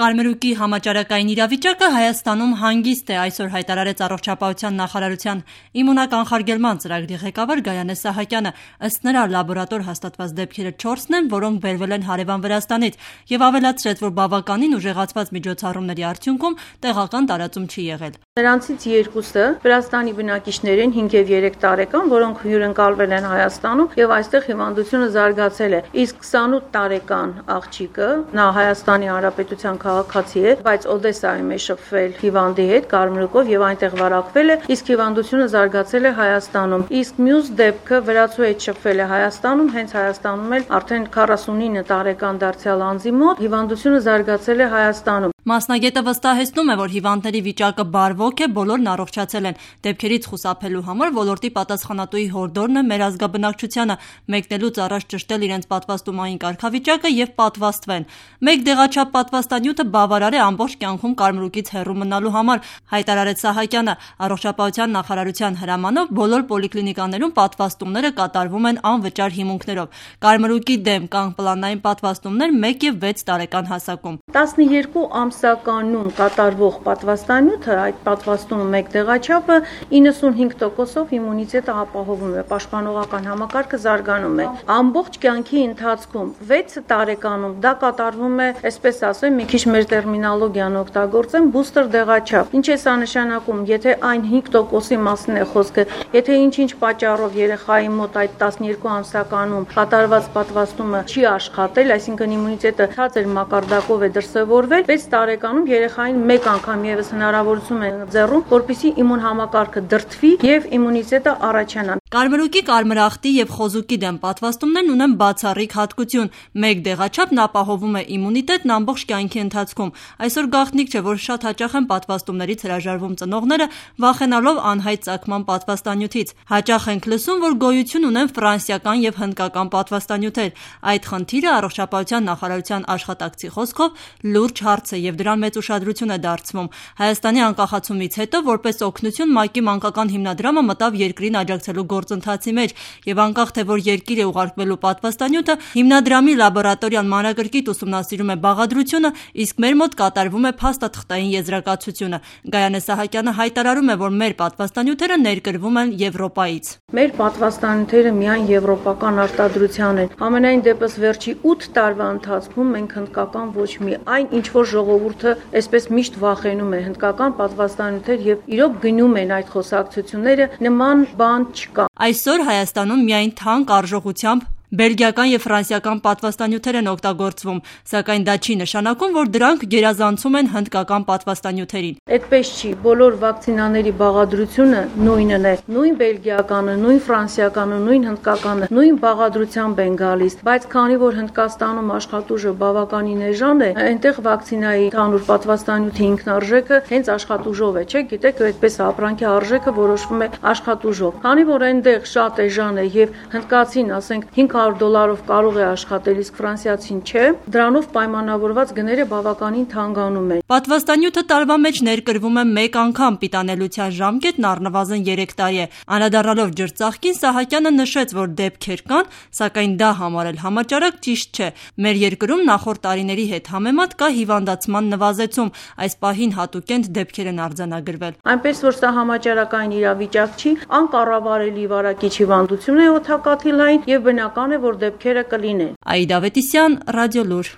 Կարմրուկի համաճարակային իրավիճակը Հայաստանում հանգիստ է, այսօր հայտարարեց Առողջապահության նախարարության իմունականխարգելման ծրագրի ղեկավար Գայանե Սահակյանը։ Ըստ նրա, լաբորատոր հաստատված դեպքերը 4-ն են, որոնք բերվել են հարևան Վրաստանից, եւ ավելացրեց, որ բավականին ուժեղացված միջոցառումների արդյունքում տեղական տարածում չի եղել։ Նրանցից 2-ը Վրաստանի բնակիչներ են 5 եւ 3 տարեկան, որոնք հյուրընկալվել են Հայաստանում եւ այստեղ հիվանդությունը զարգացել է։ Իսկ 28 տարեկան աղջիկը նա Հայաստանի Հանրապետության քաղաքացի է, բայց Օդեսայում է շփվել հիվանդի հետ կարմրուկով եւ այնտեղ վարակվել է, իսկ հիվանդությունը զարգացել է Հայաստանում։ Իսկ մյուս դեպքը վրացու հետ շփվել է Հայաստանում, հենց Հայաստանում էլ արդեն 49 տարեկան դարձյալ անձի մոտ հիվանդությունը զարգացել է Հայաստանում։ Մասնագետը վստահեցնում է, որ հիվանդների վիճակը բարվոք է, բոլորն առողջացել են։ Դեպքերից խուսափելու համար ոլորտի պատասխանատուի հորդորն է մեր ազգաբնակչությանը մեկնելուց առաջ ճշտել իրենց պատվաստումային կարգավիճակը եւ պատվաստվեն։ Մեկ դեղաչափ պատվաստանյութը բավարար է ամբողջ կյանքում կարմրուկից հեռու մնալու համար, հայտարարեց Սահակյանը։ Առողջապահության նախարարության հրամանով բոլոր պոլիկլինիկաներում պատվաստումները կատարվում են անվճար հիմունքներով։ Կարմրուկի դեմ կան պլանային պատվաստումներ 1 եւ 6 տարեկան հասակում։ 12 ամսականում կատարվող պատվաստանյութը, այդ պատվաստումը մեկ դեղաչափը 95%-ով իմունիտետը ապահովում է, պաշտպանողական համակարգը զարգանում է։ Ամբողջ կյանքի ընթացքում 6 տարեկանում դա կատարվում է, այսպես ասեմ, մի քիչ մեր տերմինոլոգիան օգտագործեմ, բուստեր դեղաչափ։ Ինչ է սա նշանակում, եթե այն 5%-ի մասին է խոսքը, եթե ինչ-ինչ պատճառով երեխայի մոտ այդ 12 ամսականում կատարված պատվաստումը չի աշխատել, այսինքն իմունիտետը ցածր մակարդակով է դրսևորվել, 6 տարեկանում երեխային մեկ անգամ եւս հնարավորություն է ձեռում, որպեսզի իմուն համակարգը դրդվի եւ իմունիտետը առաջանա։ Կարմրուկի, կարմրախտի եւ խոզուկի դեմ պատվաստումներն ունեն բացառիկ հատկություն։ Մեկ դեղաչափն ապահովում է իմունիտետն ամբողջ կյանքի ընթացքում։ Այսօր գաղտնիք չէ, որ շատ հաճախ են պատվաստումներից հրաժարվում ծնողները, վախենալով անհայտ ծագման պատվաստանյութից։ Հաճախ ենք լսում, որ գոյություն ունեն ֆրանսիական եւ հնդկական պատվաստանյութեր։ Այդ խնդիրը Առողջապահության նախարարության աշխատակցի խոսքով լուրջ հարց է եւ դրան մեծ ուշադրություն է դարձվում։ Հայաստանի անկախացումից հետո որպես օգնություն ՄԱԿ-ի մանկական հիմնադրամը մտավ երկրին աջակցելու գործընթացի մեջ եւ անկախ թե որ երկիր է ուղարկվելու պատվաստանյութը, հիմնադրամի լաբորատորիան մանրակրկիտ ուսումնասիրում է բաղադրությունը, իսկ մեր մոտ կատարվում է փաստաթղթային եզրակացությունը։ Գայանե Սահակյանը հայտարարում է, որ մեր պատվաստանյութերը ներկրվում են Եվրոպայից։ Մեր պատվաստանյութերը միայն եվրոպական արտադրության են։ Համենայն դեպս վերջի 8 տարվա ընթացքում մենք հնդկական ոչ մի այն ինչ որ ժողովուրդը այսպես միշտ վախենում է հնդկական պատվաստանյութեր եւ իրոք գնում են այդ խոսակցությունները, նման բան չկա։ Այսօր Հայաստանում միայն թանկ արժողությամբ բելգիական եւ ֆրանսիական պատվաստանյութեր են օգտագործվում, սակայն դա չի նշանակում, որ դրանք գերազանցում են հնդկական պատվաստանյութերին։ Այդպես չի, բոլոր վակցինաների բաղադրությունը նույնն է, նույն բելգիականը, նույն ֆրանսիականը, նույն հնդկականը, նույն բաղադրությամբ են գալիս, բայց քանի որ Հնդկաստանում աշխատուժը բավականին էժան է, այնտեղ վակցինայի ընդհանուր պատվաստանյութի ինքնարժեքը հենց աշխատուժով է, չէ՞, գիտեք, այդպես ապրանքի արժեքը որոշվում է աշխատուժով։ Քանի որ այնտեղ շատ էժան է եւ հնդկացին, ասենք, $500 կարող է աշխատել, իսկ ֆրանսիացին չէ, դրանով պայմանավորված գները բավականին թանկանում են։ Պատվաստանյութը տարվա մեջ ներկրվում է մեկ անգամ, պիտանելիության ժամկետն առնվազն 3 տարի է։ Անդրադառնալով ջրծաղկին, Սահակյանը նշեց, որ դեպքեր կան, սակայն դա համարել համաճարակ ճիշտ չէ։ Մեր երկրում նախորդ տարիների հետ համեմատ կա հիվանդացման նվազեցում, այս պահին հատուկենտ դեպքեր են արձանագրվել։ Այնպես որ սա համաճարակային իրավիճակ չի, անկառավարելի վարակիչ հիվանդություն է օդակաթիլային եւ բնական է, որ դեպքերը կլինեն։ Աիդա Ավետիսյան, Ռադիոլուր։